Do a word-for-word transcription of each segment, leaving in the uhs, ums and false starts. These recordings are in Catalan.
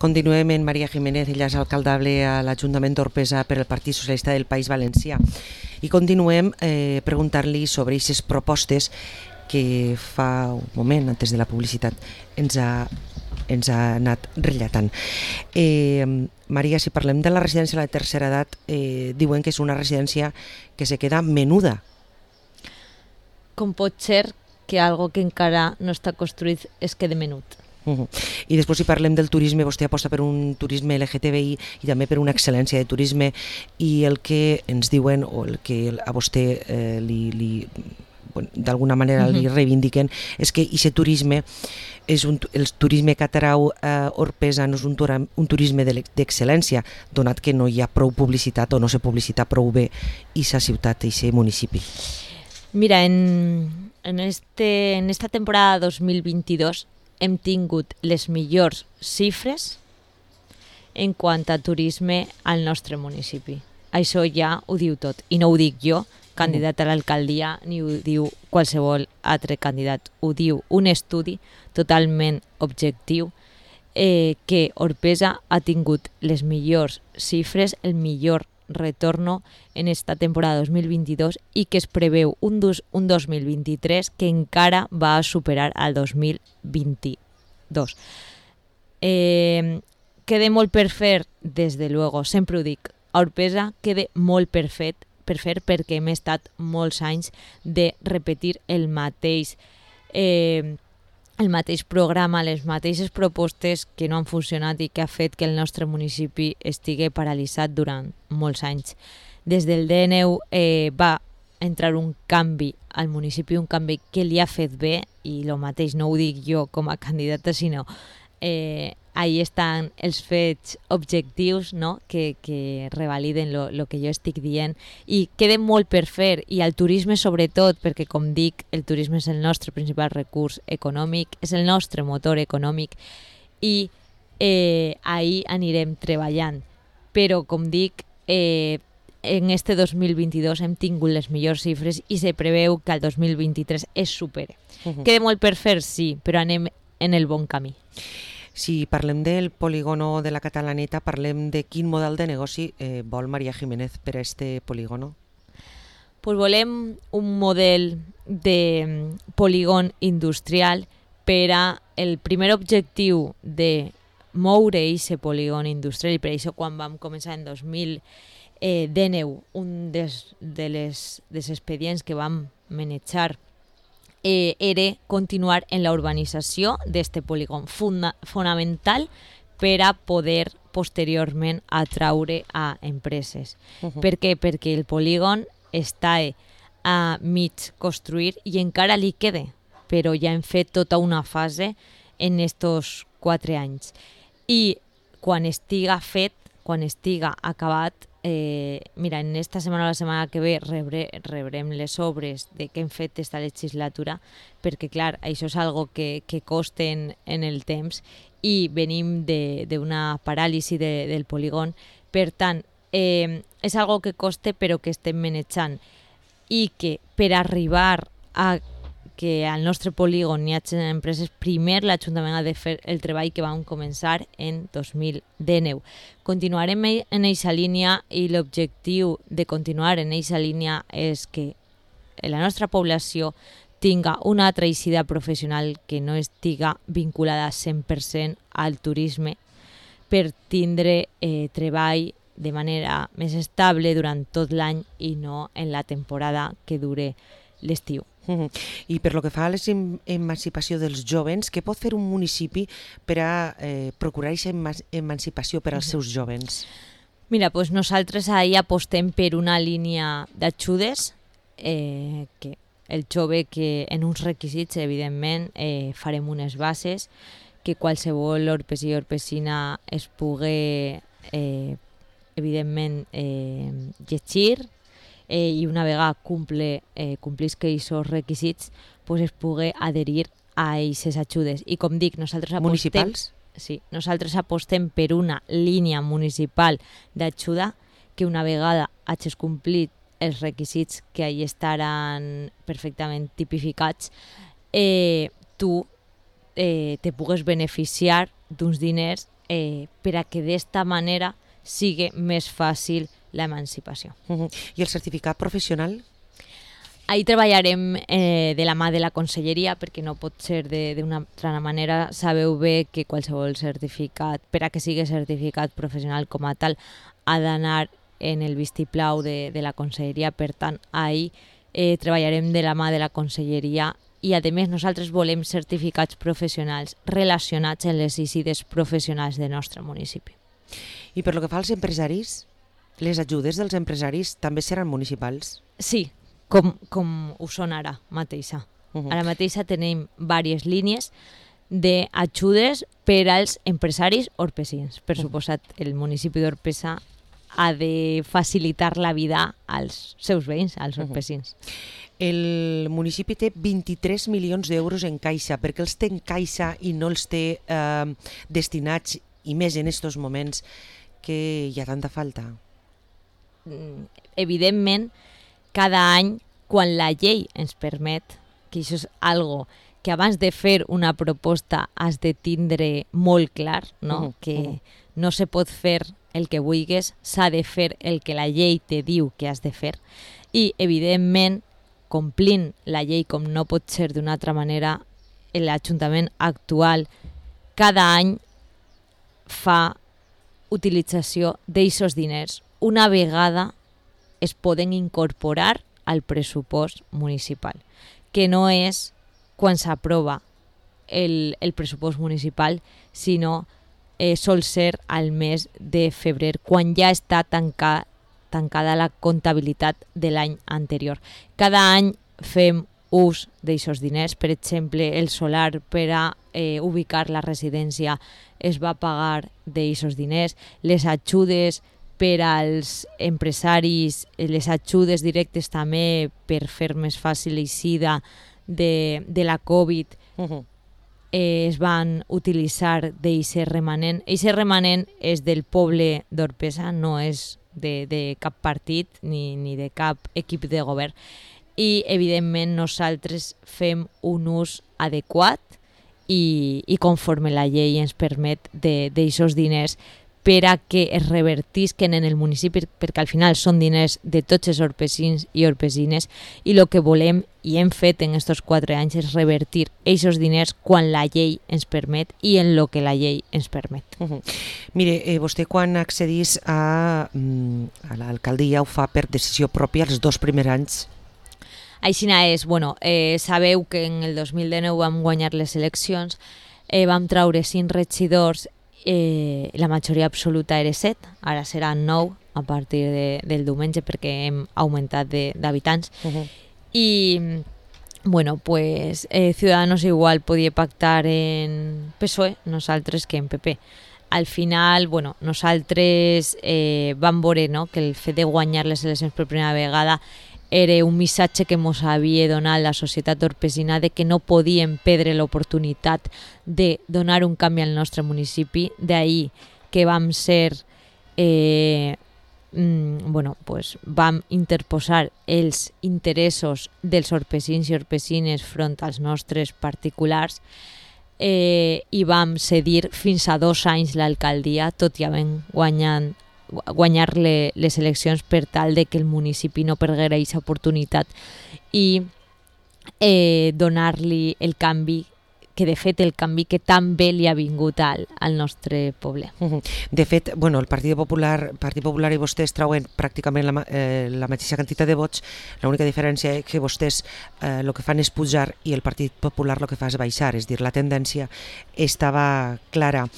Continuem en Maria Jiménez, ella és alcaldable a l'Ajuntament d'Orpesa per el Partit Socialista del País Valencià. I continuem eh, preguntant-li sobre aquestes propostes que fa un moment, antes de la publicitat, ens ha, ens ha anat relatant. Eh, Maria, si parlem de la residència de la tercera edat, eh, diuen que és una residència que se queda menuda. Com pot ser que algo que encara no està construït es quede menut? Uh -huh. I després, si parlem del turisme, vostè aposta per un turisme L G T B I i també per una excel·lència de turisme, i el que ens diuen o el que a vostè eh, li, li, bueno, d'alguna manera li reivindiquen és que aquest turisme és un, el turisme que atrau a Orpesa no és un, tura, un turisme d'excel·lència, donat que no hi ha prou publicitat o no se publicita prou bé aquesta ciutat, aquest municipi. Mira, en, en, este, en esta temporada dos mil vint-i-dos hem tingut les millors xifres en quant a turisme al nostre municipi. Això ja ho diu tot, i no ho dic jo, candidat a l'alcaldia, ni ho diu qualsevol altre candidat. Ho diu un estudi totalment objectiu eh, que Orpesa ha tingut les millors xifres, el millor retorno en esta temporada dos mil vint-i-dos i que es preveu un, dos, un dos mil vint-i-tres que encara va a superar al dos mil vint-i-dos. Eh, queda molt per fer, des de luego, sempre ho dic, a Orpesa queda molt per fer, per fer perquè hem estat molts anys de repetir el mateix eh, el mateix programa, les mateixes propostes que no han funcionat i que ha fet que el nostre municipi estigui paralitzat durant molts anys. Des del D N U eh, va entrar un canvi al municipi, un canvi que li ha fet bé, i el mateix no ho dic jo com a candidata, sinó eh, ahí estan els fets objectius, no? que, que revaliden el que jo estic dient, i queda molt per fer, i el turisme sobretot, perquè com dic, el turisme és el nostre principal recurs econòmic, és el nostre motor econòmic, i eh, ahí anirem treballant. Però com dic, eh, en este dos mil vint-i-dos hem tingut les millors xifres i se preveu que el dos mil vint-i-tres es supere. Uh-huh. Queda molt per fer, sí, però anem en el bon camí. Si parlem del polígono de la Catalaneta, parlem de quin model de negoci eh, vol Maria Jiménez per a este polígono? Pues volem un model de polígon industrial per a el primer objectiu de moure aquest polígon industrial, i per això quan vam començar en dos mil dinou, un des, de les dels expedients que vam manejar Eh, era continuar en la urbanització d'este polígon, funda, fonamental per a poder posteriorment atraure a empreses. Uh-huh. Per què? Perquè el polígon està a mig construir i encara li queda, però ja hem fet tota una fase en estos quatre anys. I quan estiga fet, quan estiga acabat, Eh, mira, en esta setmana o la setmana que ve rebre, rebrem les obres de què hem fet esta legislatura, perquè clar, això és algo que, que costen en el temps i venim d'una paràlisi de, del polígon. Per tant, eh, és algo que coste però que estem manejant, i que per arribar a que al nostre polígon hi hagi empreses, primer l'Ajuntament ha de fer el treball que vam començar en dos mil dinou. Continuarem en aquesta línia, i l'objectiu de continuar en aquesta línia és que la nostra població tinga una altra eixida professional que no estiga vinculada cent per cent al turisme, per tindre eh, treball de manera més estable durant tot l'any i no en la temporada que dure l'estiu. Uh-huh. I per lo que fa a l'emancipació dels jovens, què pot fer un municipi per a eh, procurar aquesta emancipació per als seus jovens? Mira, pues nosaltres ahí apostem per una línia d'ajudes, eh, que el jove que en uns requisits, evidentment, eh, farem unes bases, que qualsevol orpesí i orpesina es pugui, eh, evidentment, eh, llegir, Eh, i una vegada cumple, eh, complisca aquests requisits, pues es pugui adherir a aquestes ajudes. I com dic, nosaltres apostem, municipals? Sí, nosaltres apostem per una línia municipal d'ajuda que una vegada hagis complit els requisits que ahí estaran perfectament tipificats, eh, tu eh, te pugues beneficiar d'uns diners eh, per a que d'esta manera sigui més fàcil l'emancipació. Uh-huh. I el certificat professional? Ahí treballarem eh, de la mà de la conselleria, perquè no pot ser d'una altra manera. Sabeu bé que qualsevol certificat, per a que sigui certificat professional com a tal, ha d'anar en el vistiplau de, de la conselleria. Per tant, ahí eh, treballarem de la mà de la conselleria i, a més, nosaltres volem certificats professionals relacionats amb les ICIDES professionals del nostre municipi. I per lo que fa als empresaris, les ajudes dels empresaris també seran municipals? Sí, com, com ho són ara mateixa. Uh-huh. Ara mateixa tenim diverses línies d'ajudes per als empresaris orpesins. Per suposat, el municipi d'Orpesa ha de facilitar la vida als seus veïns, als orpesins. Uh-huh. El municipi té vint-i-tres milions d'euros en caixa. Per què els té en caixa i no els té eh, destinats, i més en aquests moments que hi ha tanta falta? Evidentment, cada any, quan la llei ens permet, que això és algo que abans de fer una proposta has de tindre molt clar, no? Uh-huh, que uh-huh. no se pot fer el que vulguis, s'ha de fer el que la llei te diu que has de fer. I, evidentment, complint la llei com no pot ser d'una altra manera, l'Ajuntament actual cada any fa utilització d'aquests diners. Una vegada es poden incorporar al pressupost municipal, que no és quan s'aprova el, el pressupost municipal, sinó eh, sol ser al mes de febrer, quan ja està tanca, tancada la comptabilitat de l'any anterior. Cada any fem ús d'aquests diners. Per exemple, el solar per a eh, ubicar la residència es va pagar d'aquests diners. Les ajudes per als empresaris, les ajudes directes també per fer més fàcil l'eixida de, de la Covid, uh-huh. eh, es van utilitzar d'aquest remanent. Aquest remanent és del poble d'Orpesa, no és de, de cap partit ni, ni de cap equip de govern. I, evidentment, nosaltres fem un ús adequat i, i conforme la llei ens permet d'aquests diners per a que es revertisquen en el municipi, perquè al final són diners de tots els orpesins i orpesines, i el que volem i hem fet en aquests quatre anys és revertir aquests diners quan la llei ens permet i en el que la llei ens permet. Uh-huh. Mire, eh, vostè quan accedís a, a l'alcaldia ho fa per decisió pròpia els dos primers anys? Així és, bueno, eh, sabeu que en el dos mil dinou vam guanyar les eleccions, eh, vam traure cinc regidors, eh, la majoria absoluta era set, ara seran nou a partir de, del diumenge perquè hem augmentat d'habitants. Uh-huh. I, bueno, pues eh, Ciudadanos igual podia pactar en P S O E, nosaltres que en P P. Al final, bueno, nosaltres eh, vam veure, no?, que el fet de guanyar les eleccions per primera vegada era un missatge que ens havia donat la societat orpesina de que no podíem perdre l'oportunitat de donar un canvi al nostre municipi. D'ahir que vam ser, eh, mm, bueno, pues vam interposar els interessos dels orpesins i orpesines front als nostres particulars eh, i vam cedir fins a dos anys l'alcaldia, tot i havent guanyat guanyar le, les eleccions per tal de que el municipi no perguera aquesta oportunitat i eh, donar-li el canvi, que de fet el canvi que tan bé li ha vingut al, al nostre poble. Uh-huh. De fet, bueno, el Partit Popular, Partit Popular i vostès trauen pràcticament la, eh, la mateixa quantitat de vots, l'única diferència és que vostès el eh, que fan és pujar i el Partit Popular el que fa és baixar, és dir, la tendència estava clara.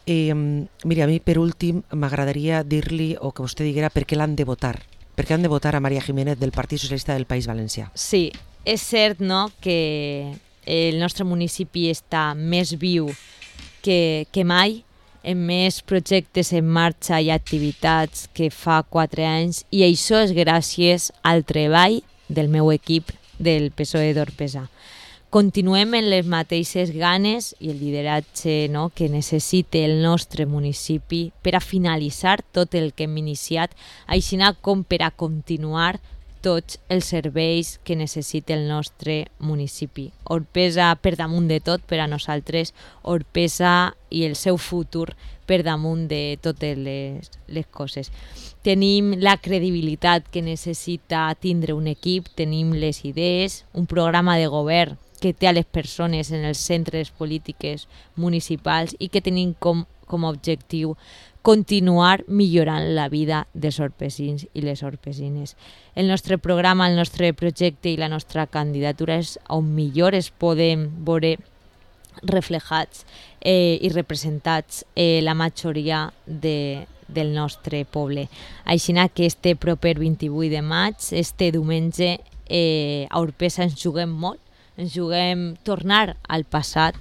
Eh, mira, a mi per últim m'agradaria dir-li o que vostè diguera per què l'han de votar, per què han de votar a María Jiménez del Partit Socialista del País Valencià. Sí, és cert, no?, que el nostre municipi està més viu que, que mai, amb més projectes en marxa i activitats que fa quatre anys, i això és gràcies al treball del meu equip del P S O E d'Orpesa. Continuem en les mateixes ganes i el lideratge, no?, que necessita el nostre municipi per a finalitzar tot el que hem iniciat, així com per a continuar tots els serveis que necessita el nostre municipi. Orpesa per damunt de tot per a nosaltres, Orpesa i el seu futur per damunt de totes les, les coses. Tenim la credibilitat que necessita tindre un equip, tenim les idees, un programa de govern que té a les persones en els centres polítiques municipals i que tenim com, com a objectiu continuar millorant la vida dels orpesins i les orpesines. El nostre programa, el nostre projecte i la nostra candidatura és on millor es podem veure reflejats eh, i representats eh, la majoria de, del nostre poble. Així que este proper vint-i-vuit de maig, este diumenge, eh, a Orpesa ens juguem molt, ens juguem tornar al passat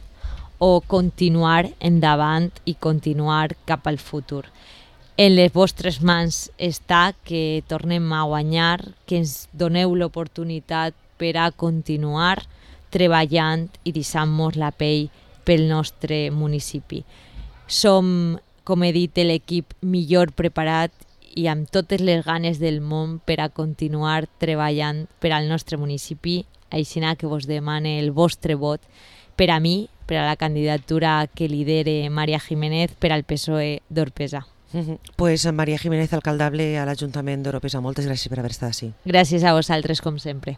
o continuar endavant i continuar cap al futur. En les vostres mans està que tornem a guanyar, que ens doneu l'oportunitat per a continuar treballant i deixant-nos la pell pel nostre municipi. Som, com he dit, l'equip millor preparat i amb totes les ganes del món per a continuar treballant per al nostre municipi, així que vos demane el vostre vot per a mi, per a la candidatura que lidere Maria Jiménez per al P S O E d'Orpesa. Uh-huh. Pues Maria Jiménez, alcaldable a l'Ajuntament d'Orpesa, moltes gràcies per haver estat així. Gràcies a vosaltres, com sempre.